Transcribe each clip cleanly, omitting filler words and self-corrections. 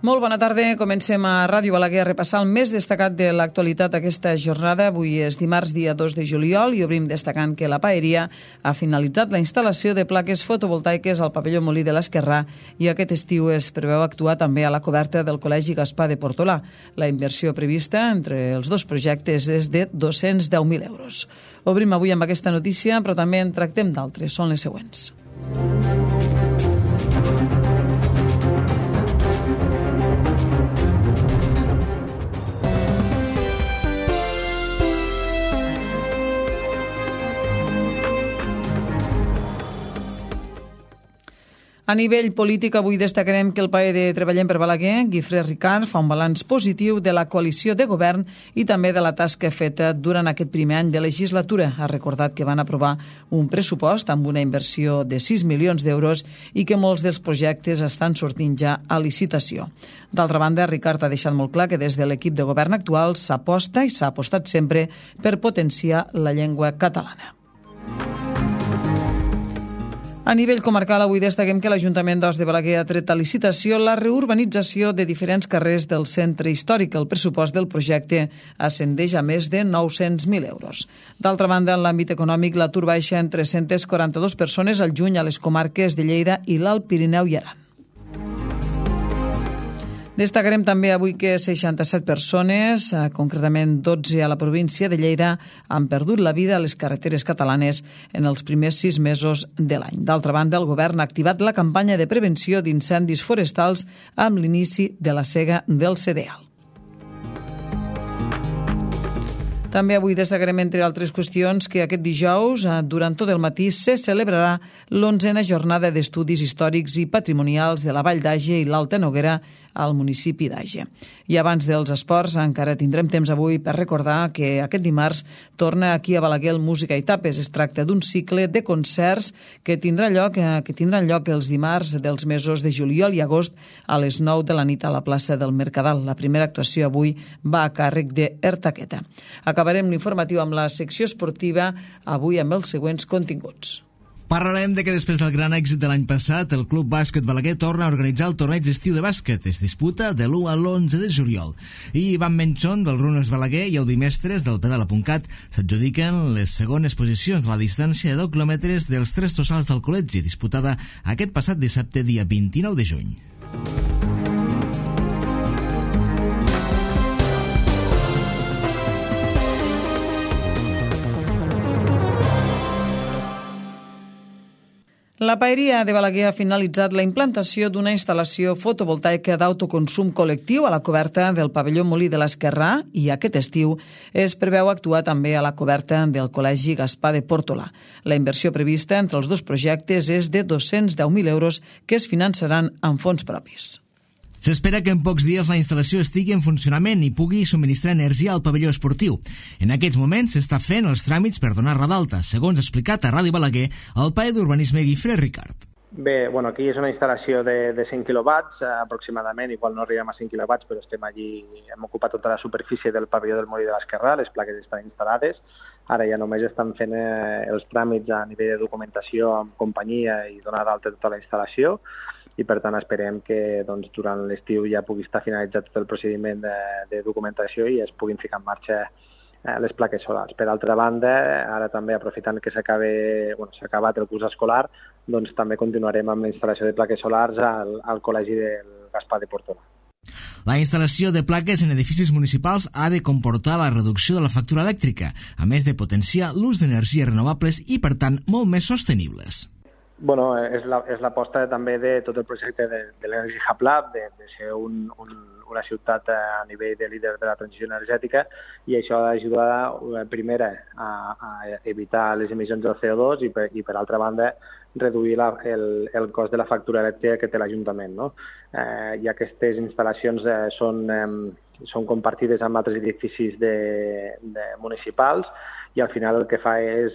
Molt bona tarda. Comencem a Ràdio Balaguer a repassar el més destacat de l'actualitat aquesta jornada. Avui és dimarts, dia 2 de juliol, i obrim destacant que la Paeria ha finalitzat la instal·lació de plaques fotovoltaiques al pavelló Molí de l'Esquerrà i aquest estiu es preveu actuar també a la coberta del Col·legi Gaspar de Portolà. La inversió prevista entre els dos projectes és de 210.000 euros. Obrim avui amb aquesta notícia, però també en tractem d'altres. Són les següents. A nivell polític, avui destacarem que el PAE de Treballem per Balaguer, Guifré Ricard, fa un balanç positiu de la coalició de govern i també de la tasca feta durant aquest primer any de legislatura. Ha recordat que van aprovar un pressupost amb una inversió de 6 milions d'euros i que molts dels projectes estan sortint ja a licitació. D'altra banda, Ricard ha deixat molt clar que des de l'equip de govern actual s'aposta i s'ha apostat sempre per potenciar la llengua catalana. A nivell comarcal, avui destaquem que l'Ajuntament d'Os de Balaguer ha tret a licitació la reurbanització de diferents carrers del centre històric. El pressupost del projecte ascendeix a més de 900.000 euros. D'altra banda, en l'àmbit econòmic, l'atur baixa en 342 persones al juny a les comarques de Lleida i l'Alt Pirineu i Aran. Destacarem també avui que 67 persones, concretament 12 a la província de Lleida, han perdut la vida a les carreteres catalanes en els primers 6 mesos de l'any. D'altra banda, el govern ha activat la campanya de prevenció d'incendis forestals amb l'inici de la sega del cereal. També avui destacarem, entre altres qüestions, que aquest dijous, durant tot el matí, se celebrarà l'11a jornada d'estudis històrics i patrimonials de la Vall d'Àger i l'Alta Noguera al municipi d'Àger. I abans dels esports, encara tindrem temps avui per recordar que aquest dimarts torna aquí a Balaguer el Música i Tapes. Es tracta d'un cicle de concerts que tindran lloc els dimarts dels mesos de juliol i agost a les 9 de la nit a la plaça del Mercadal. La primera actuació avui va a càrrec d'Ertaqueta. Acabarem l'informatiu amb la secció esportiva, avui amb els següents continguts. Parlarem de que després del gran èxit de l'any passat, el Club Bàsquet Balaguer torna a organitzar el torneig d'estiu de bàsquet. Es disputa de l'1 a l'11 de juliol. I Ivan Menchon, del Runes Balaguer, i el Bimestres, del Pedala.cat, s'adjudiquen les segones posicions de la distància de 10 quilòmetres dels 3 tossals del col·legi, disputada aquest passat dissabte, dia 29 de juny. La Paeria de Balaguer ha finalitzat la implantació d'una instal·lació fotovoltaica d'autoconsum col·lectiu a la coberta del pavelló Molí de l'Esquerrà i aquest estiu es preveu actuar també a la coberta del Col·legi Gaspar de Portolà. La inversió prevista entre els dos projectes és de 210.000 euros que es finançaran amb fons propis. S'espera que en pocs dies la instal·lació estigui en funcionament i pugui subministrar energia al pavelló esportiu. En aquests moments s'està fent els tràmits per donar-la d'alta, segons ha explicat a Ràdio Balaguer el PAE d'Urbanisme Guifré Ricard. Bé, aquí és una instal·lació de 100 quilowatts aproximadament, igual no arribem a 100 quilowatts, però estem allí, hem ocupat tota la superfície del pavelló del Molí de l'Esquerrà, les plaques estan instal·lades, ara ja només estan fent els tràmits a nivell de documentació amb companyia i donar d'alta tota la instal·lació, i per tant esperem que durant l'estiu ja pugui estar finalitzat tot el procediment de documentació i es puguin ficar en marxa les plaques solars. Per altra banda, ara també aprofitant que s'ha acabat el curs escolar, també continuarem amb la instal·lació de plaques solars al Col·legi del Gaspar de Portolà. La instal·lació de plaques en edificis municipals ha de comportar la reducció de la factura elèctrica, a més de potenciar l'ús d'energies renovables i, per tant, molt més sostenibles. És l'aposta també de tot el projecte de l'Energy Hub Lab, de ser una ciutat a nivell de líder de la transició energètica, i això ha d'ajudar, primera, a evitar les emissions del CO2 i per altra banda, reduir el cost de la factura elèctrica que té l'Ajuntament, no? I aquestes instal·lacions són compartides amb altres edificis municipals, i al final el que fa és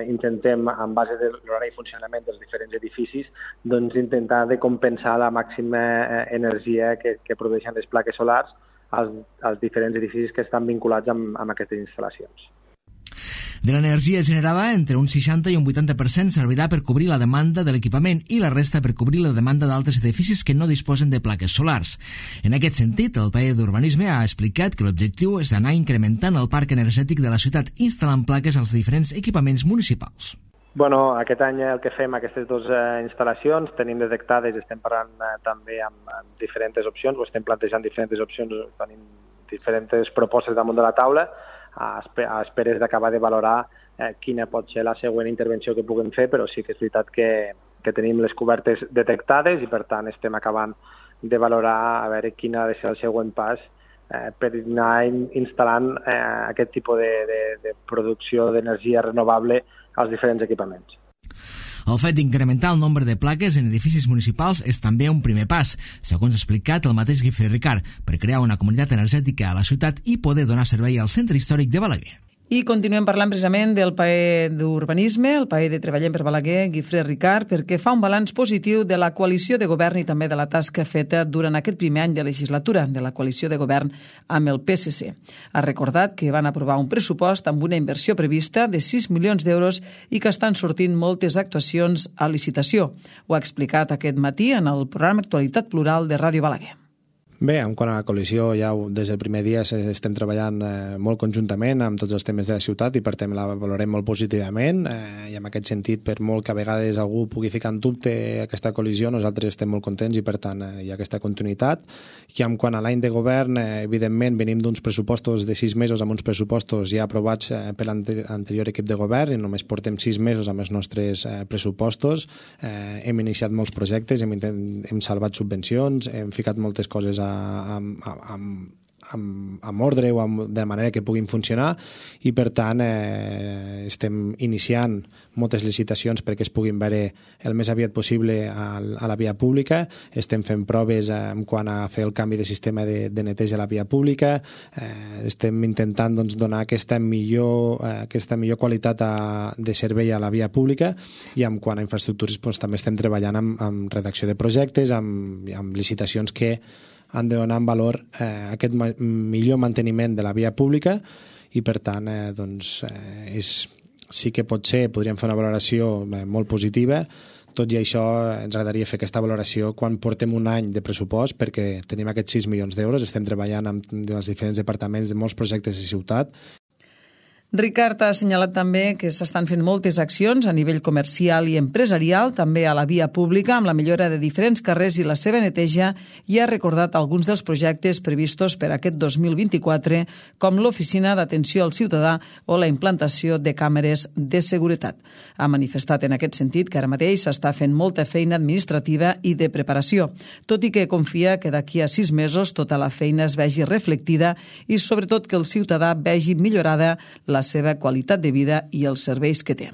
intentem, en base de l'horari de funcionament dels diferents edificis, intentar de compensar la màxima energia que produeixen les plaques solars als diferents edificis que estan vinculats amb aquestes instal·lacions. De l'energia generada, entre un 60 i un 80% servirà per cobrir la demanda de l'equipament i la resta per cobrir la demanda d'altres edificis que no disposen de plaques solars. En aquest sentit, el PAE d'Urbanisme ha explicat que l'objectiu és anar incrementant el parc energètic de la ciutat instal·lant plaques als diferents equipaments municipals. Bueno, aquest any el que fem, aquestes dues instal·lacions, tenim detectades, estem parlant també amb diferents opcions, o estem plantejant diferents opcions, tenim diferents propostes damunt de la taula, a esperes d'acabar de valorar quina pot ser la següent intervenció que puguem fer, però sí que és veritat que tenim les cobertes detectades i per tant estem acabant de valorar a veure quin ha de ser el següent pas per anar instal·lant aquest tipus de producció d'energia renovable als diferents equipaments. El fet d'incrementar el nombre de plaques en edificis municipals és també un primer pas, segons ha explicat el mateix Guifré Ricard, per crear una comunitat energètica a la ciutat i poder donar servei al centre històric de Balaguer. I continuem parlant precisament del PAE d'Urbanisme, el PAE de Treballem per Balaguer, Guifré Ricard, perquè fa un balanç positiu de la coalició de govern i també de la tasca feta durant aquest primer any de legislatura de la coalició de govern amb el PSC. Ha recordat que van aprovar un pressupost amb una inversió prevista de 6 milions d'euros i que estan sortint moltes actuacions a licitació. Ho ha explicat aquest matí en el programa Actualitat Plural de Ràdio Balaguer. Bé, en quant a la coalició, ja des del primer dia estem treballant molt conjuntament amb tots els temes de la ciutat i per tant la valorem molt positivament i en aquest sentit, per molt que a vegades algú pugui ficar en dubte aquesta coalició, nosaltres estem molt contents i per tant hi ha aquesta continuïtat. I en quant a l'any de govern, evidentment venim d'uns pressupostos de 6 mesos amb uns pressupostos ja aprovats per l'anterior equip de govern i només portem 6 mesos amb els nostres pressupostos. Hem iniciat molts projectes, hem salvat subvencions, hem ficat moltes coses amb ordre o de manera que puguin funcionar i per tant estem iniciant moltes licitacions perquè es puguin veure el més aviat possible a la via pública, estem fent proves en quant a fer el canvi de sistema de neteja a la via pública, estem intentant donar aquesta millor qualitat de servei a la via pública i en quant a infraestructures també estem treballant amb redacció de projectes, amb licitacions que han de donar en valor aquest millor manteniment de la via pública i per tant sí que podríem fer una valoració molt positiva. Tot i això ens agradaria fer aquesta valoració quan portem un any de pressupost perquè tenim aquests 6 milions d'euros, estem treballant amb els diferents departaments de molts projectes de ciutat. Ricard ha assenyalat també que s'estan fent moltes accions a nivell comercial i empresarial, també a la via pública, amb la millora de diferents carrers i la seva neteja, i ha recordat alguns dels projectes previstos per aquest 2024, com l'Oficina d'Atenció al Ciutadà o la implantació de càmeres de seguretat. Ha manifestat en aquest sentit que ara mateix s'està fent molta feina administrativa i de preparació, tot i que confia que d'aquí a 6 mesos tota la feina es vegi reflectida i sobretot que el ciutadà vegi millorada la seva qualitat de vida i els serveis que té.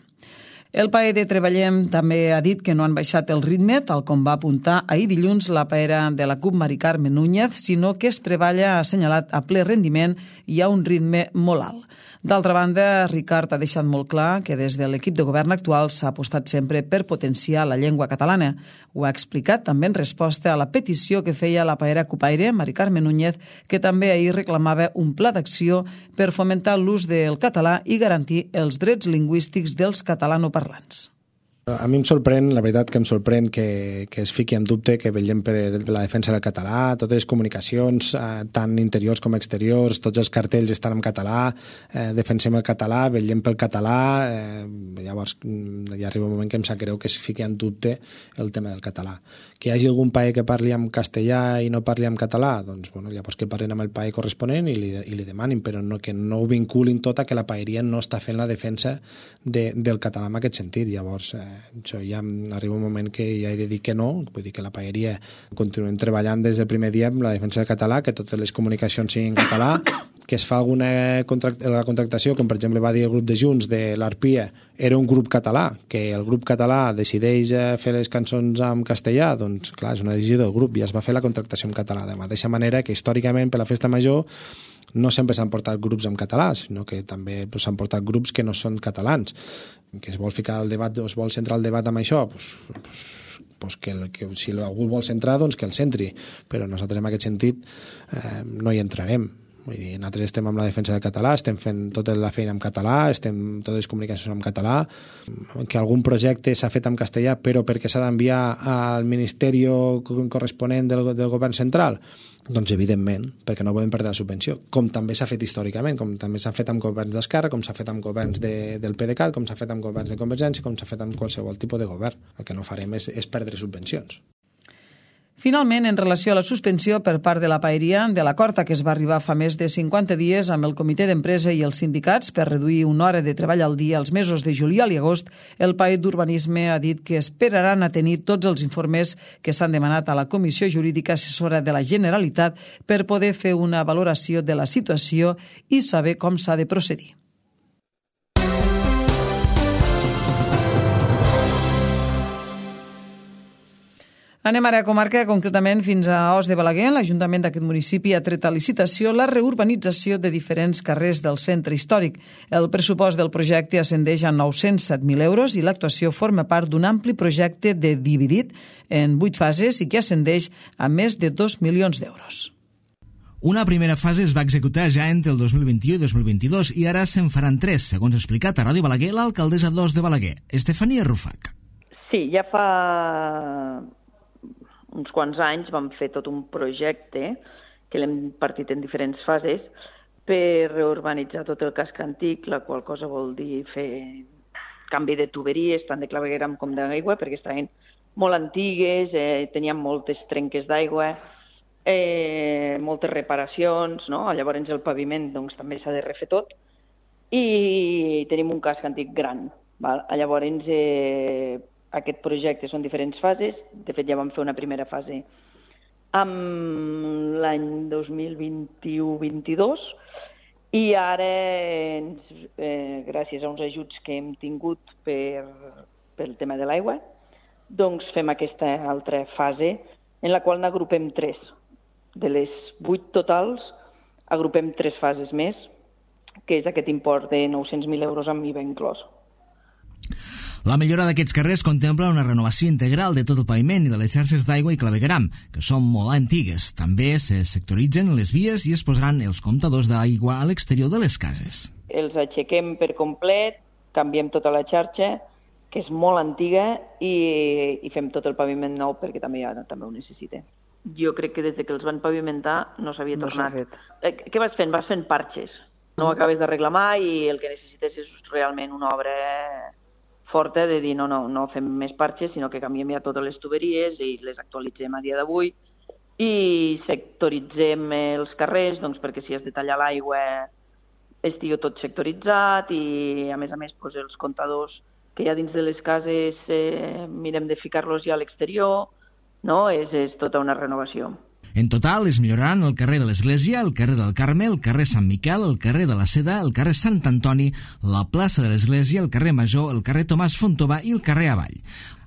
El PAE de Treballem també ha dit que no han baixat el ritme, tal com va apuntar ahir dilluns la paera de la CUP Mari Carme Núñez, sinó que es treballa, ha assenyalat, a ple rendiment i a un ritme molt alt. D'altra banda, Ricard ha deixat molt clar que des de l'equip de govern actual s'ha apostat sempre per potenciar la llengua catalana. Ho ha explicat també en resposta a la petició que feia la paera cupaire, Mari Carme Núñez, que també ahir reclamava un pla d'acció per fomentar l'ús del català i garantir els drets lingüístics dels catalanoparlants. A mi em sorprèn, la veritat que em sorprèn que es fiqui en dubte que vetllem per la defensa del català, totes les comunicacions, tant interiors com exteriors, tots els cartells estan en català, defensem el català, vetllem pel català, llavors ja arriba un moment que em sap greu que es fiqui en dubte el tema del català. Que hi hagi algun país que parli en castellà i no parli en català, doncs bueno, llavors que parlin amb el país corresponent i li demanin, però no, que no ho vinculin tot a que la paeria no està fent la defensa del català en aquest sentit. Llavors això ja arriba un moment que ja he de dir que no, vull dir que la paeria continuem treballant des del primer dia amb la defensa del català, que totes les comunicacions siguin en català, que es fa alguna contractació, com per exemple va dir el grup de Junts de l'Arpia, era un grup català, que el grup català decideix fer les cançons en castellà, doncs clar, és una decisió del grup i es va fer la contractació en català, de mateixa manera que històricament per la festa major no sempre s'han portat grups en català, sinó que també s'han portat grups que no són catalans. Que es vol ficar el debat, o es vol centrar el debat amb això, que si algú vol centrar, doncs que el centri, però nosaltres en aquest sentit no hi entrarem. Vull dir, nosaltres estem amb la defensa del català, estem fent tota la feina en català, estem totes les comunicacions en català, que algun projecte s'ha fet en castellà però perquè s'ha d'enviar al ministeri corresponent del govern central, doncs evidentment, perquè no podem perdre la subvenció, com també s'ha fet històricament, com també s'ha fet amb governs d'Esquerra, com s'ha fet amb governs del PDeCAT, com s'ha fet amb governs de Convergència, com s'ha fet amb qualsevol tipus de govern. El que no farem és perdre subvencions. Finalment, en relació a la suspensió per part de la Paeria de l'acord a què es va arribar fa més de 50 dies amb el comitè d'empresa i els sindicats per reduir una hora de treball al dia als mesos de juliol i agost, el PAE d'Urbanisme ha dit que esperaran a tenir tots els informes que s'han demanat a la Comissió Jurídica Assessora de la Generalitat per poder fer una valoració de la situació i saber com s'ha de procedir. Anem ara a comarca, concretament fins a Os de Balaguer. L'Ajuntament d'aquest municipi ha tret a licitació la reurbanització de diferents carrers del centre històric. El pressupost del projecte ascendeix a 907.000 euros i l'actuació forma part d'un ampli projecte dividit en 8 fases i que ascendeix a més de 2 milions d'euros. Una primera fase es va executar ja entre el 2021 i 2022 i ara se'n faran 3, segons ha explicat a Ràdio Balaguer l'alcaldessa d'Os de Balaguer, Estefania Rufac. Sí, ja fa uns quants anys vam fer tot un projecte que l'hem partit en diferents fases per reurbanitzar tot el casc antic, la qual cosa vol dir fer canvi de tuberies, tant de clavegueram com d'aigua, perquè estaven molt antigues, tenien moltes trenques d'aigua, moltes reparacions, no? Llavors el paviment doncs, també s'ha de refer tot i tenim un casc antic gran. Val? Llavors aquest projecte són diferents fases, de fet ja vam fer una primera fase amb l'any 2021-22 i ara, gràcies a uns ajuts que hem tingut pel tema de l'aigua, doncs fem aquesta altra fase en la qual n'agrupem 3. De les 8 totals, agrupem 3 fases més, que és aquest import de 900.000 euros amb IVA inclòs. La millora d'aquests carrers contempla una renovació integral de tot el paviment i de les xarxes d'aigua i clavegueram, que són molt antigues. També se sectoritzen les vies i es posaran els comptadors d'aigua a l'exterior de les cases. Els aixequem per complet, canviem tota la xarxa, que és molt antiga, i fem tot el paviment nou perquè també ho necessita. Jo crec que des que els van pavimentar no s'havia tornat. Què vas fent? Vas fent parxes. No ho acabes d'arreglar mai i el que necessites és realment una obra forta de dir no fem més parxes, sinó que canviem ja totes les tuberies i les actualitzem a dia d'avui i sectoritzem els carrers doncs, perquè si has de tallar l'aigua estigui tot sectoritzat i a més doncs, els comptadors que hi ha dins de les cases mirem de ficar-los ja a l'exterior, no? És tota una renovació. En total es milloraran el carrer de l'Església, el carrer del Carme, el carrer Sant Miquel, el carrer de la Seda, el carrer Sant Antoni, la plaça de l'Església, el carrer Major, el carrer Tomàs Fontova i el carrer Avall.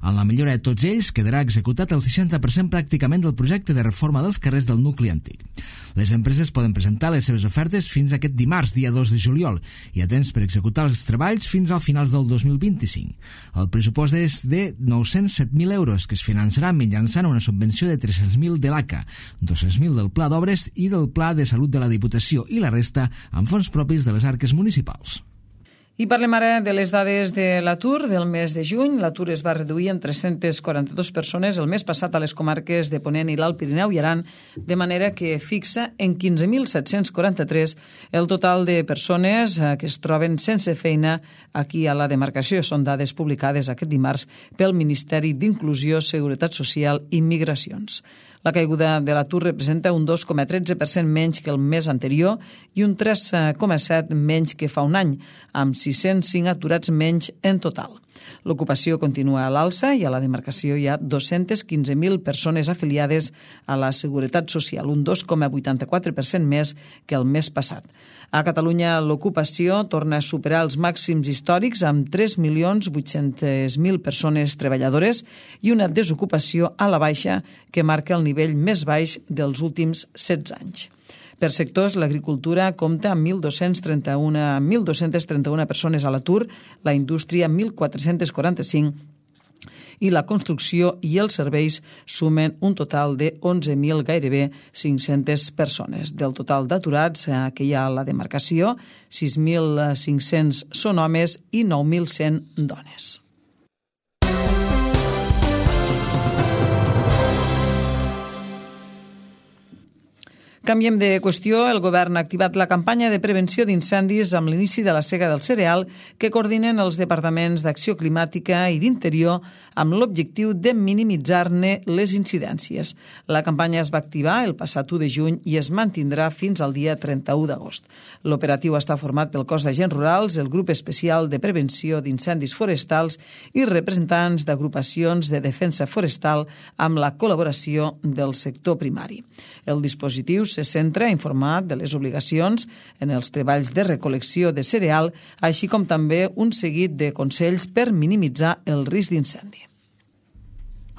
En la millora de tots ells quedarà executat el 60% pràcticament del projecte de reforma dels carrers del nucli antic. Les empreses poden presentar les seves ofertes fins aquest dimarts, dia 2 de juliol, i a temps per executar els treballs fins al finals del 2025. El pressupost és de 907.000 euros, que es finançarà mitjançant una subvenció de 300.000 de l'ACA, 200.000 del Pla d'Obres i del Pla de Salut de la Diputació i la resta amb fons propis de les arques municipals. I parlem ara de les dades de l'atur del mes de juny. L'atur es va reduir en 342 persones el mes passat a les comarques de Ponent i l'Alt Pirineu i Aran, de manera que fixa en 15.743 el total de persones que es troben sense feina aquí a la demarcació. Són dades publicades aquest dimarts pel Ministeri d'Inclusió, Seguretat Social i Migracions. La caiguda de l'atur representa un 2,13% menys que el mes anterior i un 3,7% menys que fa un any, amb 605 aturats menys en total. L'ocupació continua a l'alça i a la demarcació hi ha 215.000 persones afiliades a la Seguretat Social, un 2,84% més que el mes passat. A Catalunya l'ocupació torna a superar els màxims històrics amb 3.800.000 persones treballadores i una desocupació a la baixa que marca el nivell més baix dels últims 16 anys. Per sectors, l'agricultura compta amb 1.231 persones a l'atur, la indústria 1.445 i la construcció i els serveis sumen un total de 11.000, gairebé 500 persones. Del total d'aturats que hi ha a la demarcació, 6.500 són homes i 9.100 dones. Canviem de qüestió. El govern ha activat la campanya de prevenció d'incendis amb l'inici de la sega del cereal que coordinen els departaments d'Acció Climàtica i d'Interior amb l'objectiu de minimitzar-ne les incidències. La campanya es va activar el passat 1 de juny i es mantindrà fins al dia 31 d'agost. L'operatiu està format pel Cos d'Agents Rurals, el Grup Especial de Prevenció d'Incendis Forestals i representants d'agrupacions de defensa forestal amb la col·laboració del sector primari. El dispositiu se centra a informar de les obligacions en els treballs de recol·lecció de cereal, així com també un seguit de consells per minimitzar el risc d'incendi.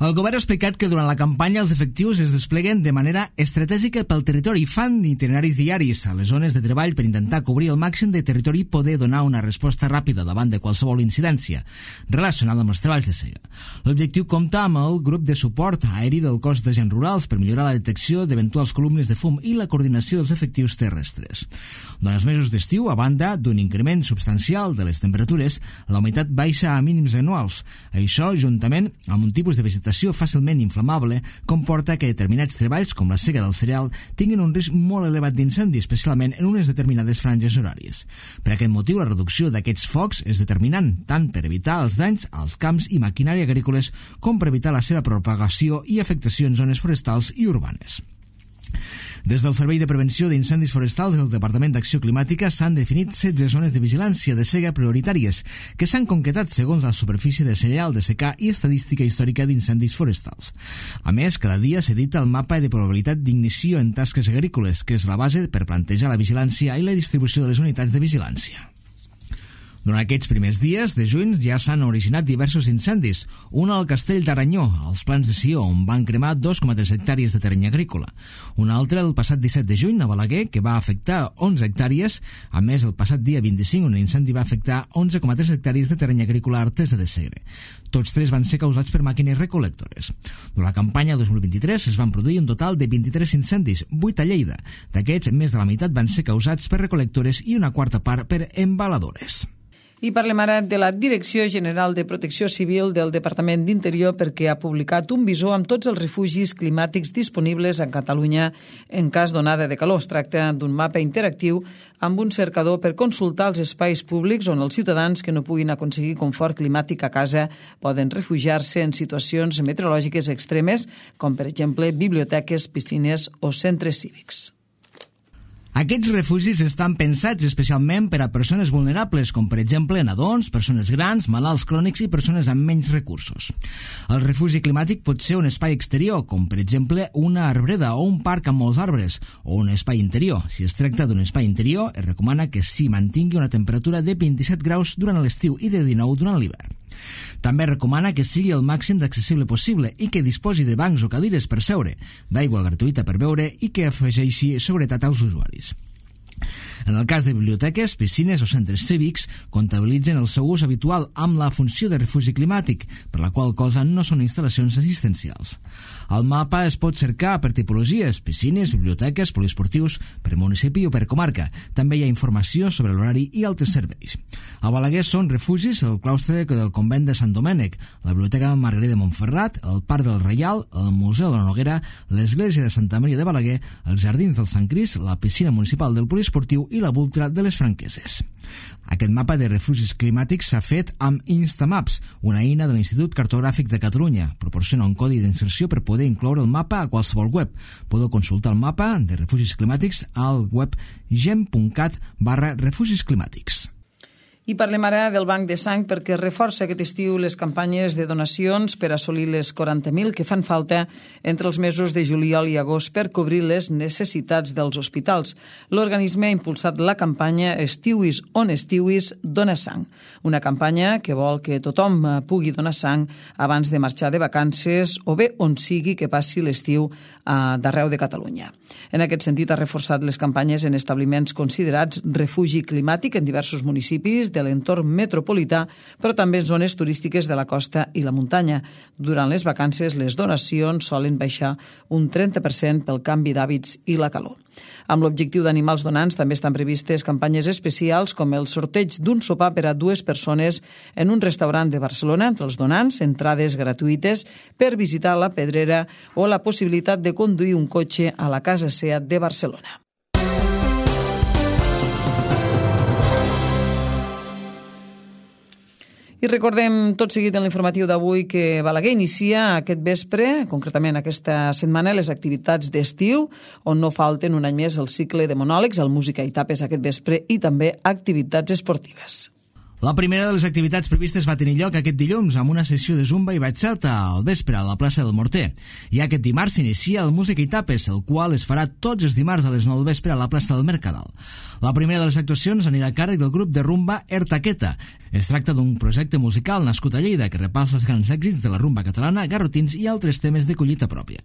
El govern ha explicat que durant la campanya els efectius es despleguen de manera estratègica pel territori i fan itineraris diaris a les zones de treball per intentar cobrir el màxim de territori i poder donar una resposta ràpida davant de qualsevol incidència relacionada amb els treballs de sega. L'objectiu compta amb el grup de suport aeri del Cos d'Agents Rurals per millorar la detecció d'eventuals columnes de fum i la coordinació dels efectius terrestres. Durant els mesos d'estiu, a banda d'un increment substancial de les temperatures, la humitat baixa a mínims anuals. Això, juntament amb un tipus de vegetació fàcilment inflamable, comporta que determinats treballs, com la sega del cereal, tinguin un risc molt elevat d'incendi, especialment en unes determinades franges horàries. Per aquest motiu, la reducció d'aquests focs és determinant, tant per evitar els danys als camps i maquinària agrícoles com per evitar la seva propagació i afectació en zones forestals i urbanes. Des del Servei de Prevenció d'Incendis Forestals del Departament d'Acció Climàtica s'han definit 16 zones de vigilància de sega prioritàries que s'han concretat segons la superfície de cereal de secà i estadística històrica d'incendis forestals. A més, cada dia s'edita el mapa de probabilitat d'ignició en tasques agrícoles, que és la base per plantejar la vigilància i la distribució de les unitats de vigilància. Durant aquests primers dies de juny ja s'han originat diversos incendis, un al Castell d'Aranyó, als Plans de Sió, on van cremar 2,3 hectàrees de terreny agrícola. Un altre el passat 17 de juny a Balaguer, que va afectar 11 hectàrees. A més, el passat dia 25 un incendi va afectar 11,3 hectàrees de terreny agrícola a Artesa de Segre. Tots tres van ser causats per màquines recol·lectores. Durant la campanya 2023 es van produir un total de 23 incendis, 8 a Lleida. D'aquests, més de la meitat van ser causats per recol·lectores i una quarta part per embaladores. I parlem ara de la Direcció General de Protecció Civil del Departament d'Interior perquè ha publicat un visor amb tots els refugis climàtics disponibles a Catalunya en cas d'onada de calor. Es tracta d'un mapa interactiu amb un cercador per consultar els espais públics on els ciutadans que no puguin aconseguir confort climàtic a casa poden refugiar-se en situacions meteorològiques extremes, com per exemple biblioteques, piscines o centres cívics. Aquests refugis estan pensats especialment per a persones vulnerables, com per exemple nadons, persones grans, malalts crònics i persones amb menys recursos. El refugi climàtic pot ser un espai exterior, com per exemple una arbreda o un parc amb molts arbres, o un espai interior. Si es tracta d'un espai interior, es recomana que s'hi mantingui una temperatura de 27 graus durant l'estiu i de 19 durant l'hivern. També recomana que sigui el màxim d'accessible possible i que disposi de bancs o cadires per seure, d'aigua gratuïta per beure i que afegeixi seguretat als usuaris. En el cas de biblioteques, piscines o centres cívics, comptabilitzen el seu ús habitual amb la funció de refugi climàtic, per la qual cosa no són instal·lacions assistencials. El mapa es pot cercar per tipologies, piscines, biblioteques, poliesportius, per municipi o per comarca. També hi ha informació sobre l'horari i altres serveis. A Balaguer són refugis el claustre del convent de Sant Domènec, la biblioteca Margarida de Montferrat, el Parc del Reial, el Museu de la Noguera, l'església de Santa Maria de Balaguer, els jardins del Sant Crist, la piscina municipal del poliesportiu i la Vultra de les Franqueses. Aquest mapa de refugis climàtics s'ha fet amb Instamaps, una eina de l'Institut Cartogràfic de Catalunya. Proporciona un codi d'inserció per poder incloure el mapa a qualsevol web. Podeu consultar el mapa de refugis climàtics al web gem.cat/refugis climàtics. I parlem ara del Banc de Sang perquè reforça aquest estiu les campanyes de donacions per assolir les 40.000 que fan falta entre els mesos de juliol i agost per cobrir les necessitats dels hospitals. L'organisme ha impulsat la campanya Estiuis on estiuis, dona sang. Una campanya que vol que tothom pugui donar sang abans de marxar de vacances o bé on sigui que passi l'estiu d'arreu de Catalunya. En aquest sentit, ha reforçat les campanyes en establiments considerats refugi climàtic en diversos municipis de l'entorn metropolità, però també en zones turístiques de la costa i la muntanya. Durant les vacances, les donacions solen baixar un 30% pel canvi d'hàbits i la calor. Amb l'objectiu d'animar els donants, també estan previstes campanyes especials com el sorteig d'un sopar per a 2 persones en un restaurant de Barcelona entre els donants, entrades gratuïtes per visitar la Pedrera o la possibilitat de conduir un cotxe a la Casa Seat de Barcelona. I recordem tot seguit en l'informatiu d'avui que Balaguer inicia aquest vespre, concretament aquesta setmana, les activitats d'estiu, on no falten un any més el cicle de monòlegs, el Música i Tapes aquest vespre i també activitats esportives. La primera de les activitats previstes va tenir lloc aquest dilluns amb una sessió de zumba i bachata al vespre a la plaça del Morter. I aquest dimarts s'inicia el Música i Tapes, el qual es farà tots els dimarts a les 9 del vespre a la plaça del Mercadal. La primera de les actuacions anirà a càrrec del grup de rumba Ertaqueta. Es tracta d'un projecte musical nascut a Lleida que repassa els grans èxits de la rumba catalana, garrotins i altres temes de collita pròpia.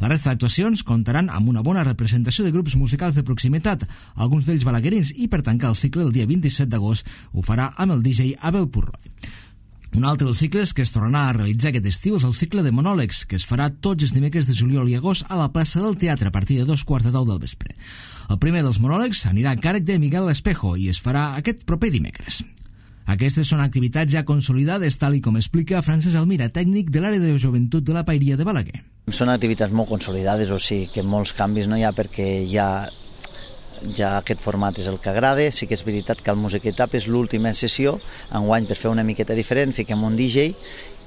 La resta d'actuacions comptaran amb una bona representació de grups musicals de proximitat, alguns d'ells balaguerins, i per tancar el cicle el dia 27 d'agost ho farà amb el DJ Abel Purroy. Un altre dels cicles que es tornarà a realitzar aquest estiu és el cicle de monòlegs, que es farà tots els dimecres de juliol i agost a la plaça del Teatre a partir de 2:15 del vespre. El primer dels monòlegs anirà a càrrec de Miguel Espejo i es farà aquest proper dimecres. Aquestes són activitats ja consolidades, tal i com explica Francesc Almira, tècnic de l'àrea de joventut de la Paeria de Balaguer. Són activitats molt consolidades, o sigui que molts canvis no hi ha perquè ja aquest format és el que agrada. Sí que és veritat que el Música i Tapes és l'última sessió, enguany per fer una miqueta diferent, fiquem un DJ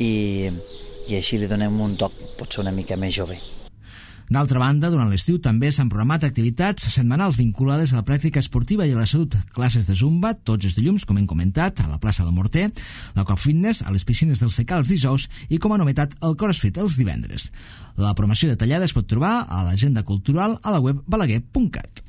i així li donem un toc potser una mica més jove. D'altra banda, durant l'estiu també s'han programat activitats setmanals vinculades a la pràctica esportiva i a la salut. Classes de zumba tots els dilluns, com hem comentat, a la plaça del Morter, l'Aquafitness a les piscines del Secà els dijous i, com a novetat, el CrossFit els divendres. La programació detallada es pot trobar a l'agenda cultural a la web balaguer.cat.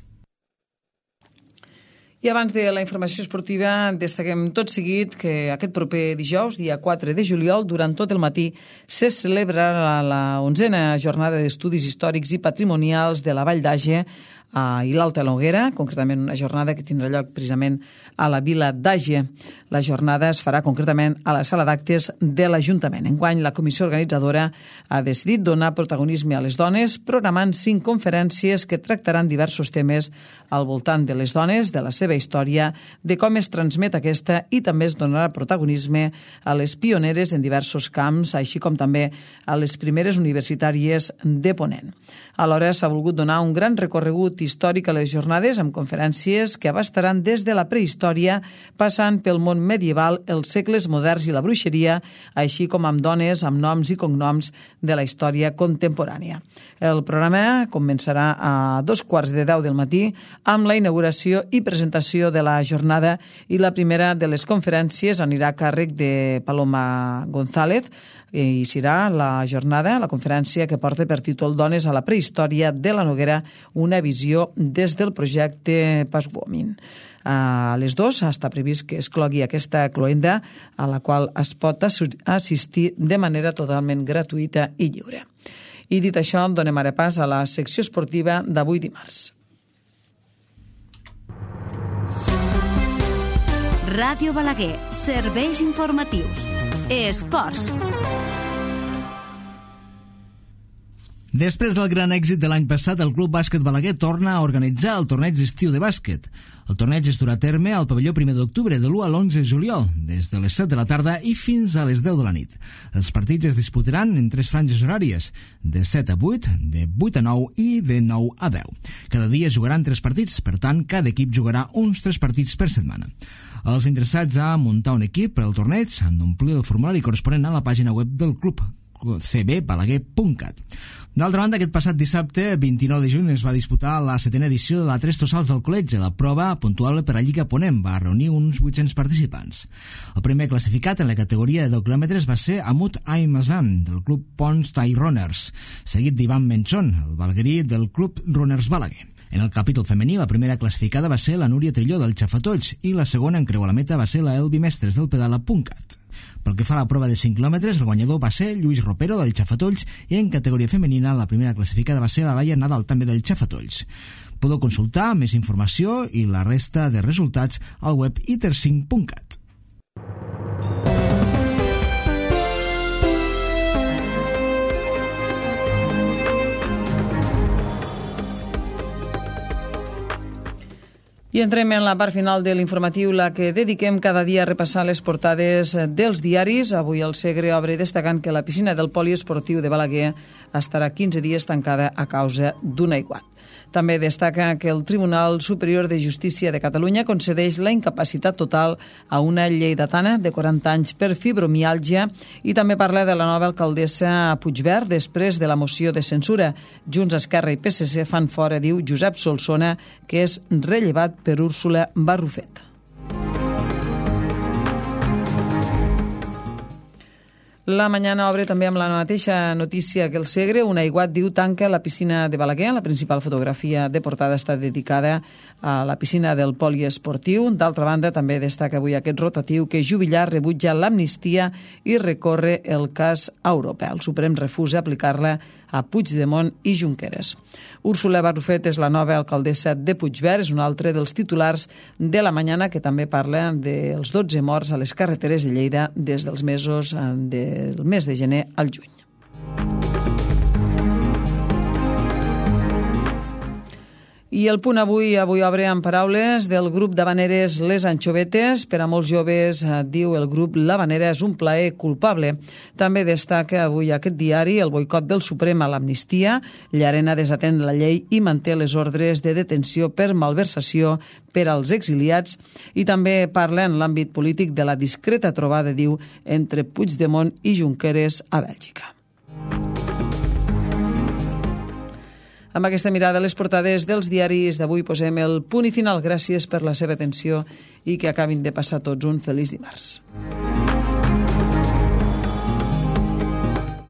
I abans de la informació esportiva, destaquem tot seguit que aquest proper dijous, dia 4 de juliol, durant tot el matí, se celebrarà la 11a jornada d'estudis històrics i patrimonials de la Vall d'Àger i l'Alta Noguera, concretament una jornada que tindrà lloc precisament a la vila d'Àger. La jornada es farà concretament a la sala d'actes de l'Ajuntament. Enguany, la comissió organitzadora ha decidit donar protagonisme a les dones, programant 5 conferències que tractaran diversos temes al voltant de les dones, de la seva història, de com es transmet aquesta i també es donarà protagonisme a les pioneres en diversos camps, així com també a les primeres universitàries de Ponent. Alhora s'ha volgut donar un gran recorregut històric a les jornades amb conferències que abastaran des de la prehistòria, passant pel món medieval, els segles moderns i la bruixeria, així com amb dones, amb noms i cognoms de la història contemporània. El programa començarà a 2:15 del matí amb la inauguració i presentació de la jornada i la primera de les conferències anirà a càrrec de Paloma González i serà la jornada, la conferència que porta per títol Dones a la prehistòria de la Noguera, una visió des del projecte Paswomin. A les 2 està previst que es clogui aquesta cloenda a la qual es pot assistir de manera totalment gratuïta i lliure. I dit això, donem ara pas a la secció esportiva d'avui dimarts. Ràdio Balaguer, serveis informatius. Esports. Després del gran èxit de l'any passat, el Club Bàsquet Balaguer torna a organitzar el torneig d'estiu de bàsquet. El torneig es durà a terme al pavelló 1 d'octubre, de l'1 a l'11 de juliol, des de les 7 de la tarda i fins a les 10 de la nit. Els partits es disputaran en 3 franges horàries, de 7 a 8, de 8 a 9 i de 9 a 10. Cada dia jugaran 3 partits, per tant, cada equip jugarà uns 3 partits per setmana. Els interessats a muntar un equip per al torneig han d'omplir el formulari corresponent a la pàgina web del club, cbbalaguer.cat. D'altra banda, aquest passat dissabte, 29 de juny, es va disputar la 7a edició de la Tres Tossals del Col·legi. La prova, puntuable per a Lliga Ponent, va reunir uns 800 participants. El primer classificat en la categoria de 10 quilòmetres va ser Amut Aymazan, del club Pons Tai Runners, seguit d'Ivan Menchon, el balaguerí del club Runners Balaguer. En el capítol femení, la primera classificada va ser la Núria Trilló del Xafatolls i la segona en creuar la meta va ser la Elvi Mestres del Pedala.cat. Pel que fa a la prova de 5 quilòmetres, el guanyador va ser Lluís Ropero del Xafatolls i en categoria femenina la primera classificada va ser la Laia Nadal també del Xafatolls. Podeu consultar més informació i la resta de resultats al web iter5.cat. I entrem en la part final de l'informatiu, la que dediquem cada dia a repassar les portades dels diaris. Avui el Segre obre destacant que la piscina del poliesportiu de Balaguer estarà 15 dies tancada a causa d'un aiguat. També destaca que el Tribunal Superior de Justícia de Catalunya concedeix la incapacitat total a una lleidatana de 40 anys per fibromiàlgia i també parla de la nova alcaldessa a Puigverd després de la moció de censura. Junts, Esquerra i PSC fan fora, diu Josep Solsona, que és rellevat per Úrsula Barrufet. La Mañana obre també amb la mateixa notícia que el Segre. Un aiguat, diu, tanca la piscina de Balaguer. La principal fotografia de portada està dedicada a la piscina del poliesportiu. D'altra banda, també destaca avui aquest rotatiu que Jubillar rebutja l'amnistia i recorre el cas europeu. El Suprem refusa aplicar-la a Puigdemont i Junqueras. Úrsula Barrufet és la nova alcaldessa de Puigverd, és un altre dels titulars de la Mañana, que també parla dels 12 morts a les carreteres de Lleida des del mes de gener al juny. I el Punt avui obre amb paraules del grup d'havaneres Les Anxovetes. Per a molts joves, diu el grup, l'havanera és un plaer culpable. També destaca avui aquest diari el boicot del Suprem a l'amnistia. Llarena desatén la llei i manté les ordres de detenció per malversació per als exiliats. I també parla en l'àmbit polític de la discreta trobada, diu, entre Puigdemont i Junqueras a Bèlgica. Amb aquesta mirada a les portades dels diaris d'avui posem el punt i final. Gràcies per la seva atenció i que acabin de passar tots un feliç dimarts.